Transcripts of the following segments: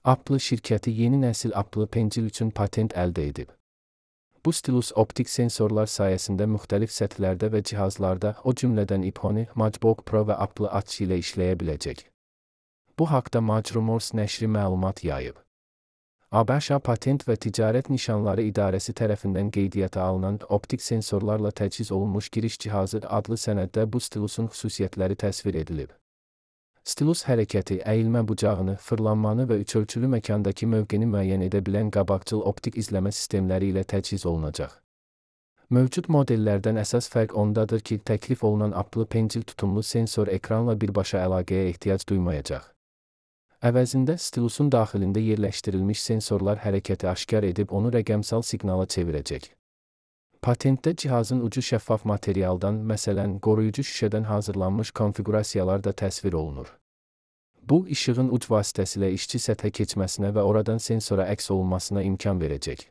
Apple şirkəti yeni nəsil Apple Pencil üçün patent əldə edib. Bu stilus optik sensorlar sayəsində müxtəlif səthlərdə və cihazlarda, o cümlədən iPhone, MacBook Pro və Apple Watch ilə işləyə biləcək. Bu haqda Rumors nəşri məlumat yayıb. ABŞ Patent və Ticarət Nişanları İdarəsi tərəfindən qeydiyyata alınan optik sensorlarla təchiz olunmuş giriş cihazı adlı sənəddə bu stilusun xüsusiyyətləri təsvir edilib. Stilus hərəkəti, əyilmə bucağını, fırlanmanı və üçölçülü məkandakı mövqeni müəyyən edə bilən qabaqcıl optik izləmə sistemləri ilə təchiz olunacaq. Mövcud modellərdən əsas fərq ondadır ki, təklif olunan Apple Pencil tutumlu sensor ekranla birbaşa əlaqəyə ehtiyac duymayacaq. Əvəzində stilusun daxilində yerləşdirilmiş sensorlar hərəkəti aşkar edib onu rəqəmsal siqnala çevirəcək. Patentdə cihazın ucu şəffaf materialdan, məsələn, qoruyucu şüşədən hazırlanmış konfiqurasiyalar da təsvir olunur. Bu, işığın uc vasitəsilə işçi səthə keçməsinə və oradan sensora əks olunmasına imkan verəcək.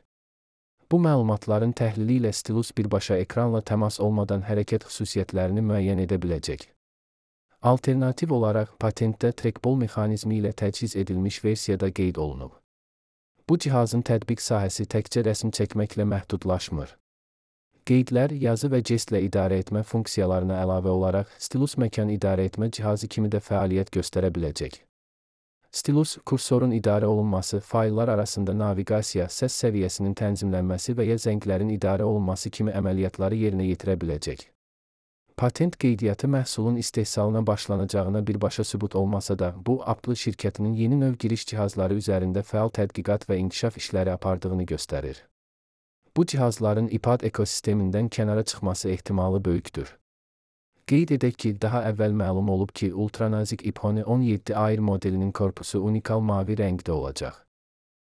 Bu məlumatların təhlili ilə stilus birbaşa ekranla təmas olmadan hərəkət xüsusiyyətlərini müəyyən edə biləcək. Alternativ olaraq, patentdə trackball mexanizmi ilə təchiz edilmiş versiyada qeyd olunub. Bu cihazın tətbiq sahəsi təkcə rəsm çəkməklə məhdudlaşmır. Qeydlər, yazı və jestlə idarə etmə funksiyalarına əlavə olaraq, stilus məkan idarə etmə cihazı kimi də fəaliyyət göstərə biləcək. Stilus, kursorun idarə olunması, fayllar arasında naviqasiya, səs səviyyəsinin tənzimlənməsi və ya zənglərin idarə olunması kimi əməliyyatları yerinə yetirə biləcək. Patent qeydiyyatı məhsulun istehsalına başlanacağına birbaşa sübut olmasa da, bu, Apple şirkətinin yeni növ giriş cihazları üzərində fəal tədqiqat və inkişaf işləri apardığını göstərir. Bu cihazların iPad ekosistemindən kənara çıxması ehtimalı böyükdür. Qeyd edək ki, daha əvvəl məlum olub ki, ultranazik iPhone 17 Air modelinin korpusu unikal mavi rəngdə olacaq.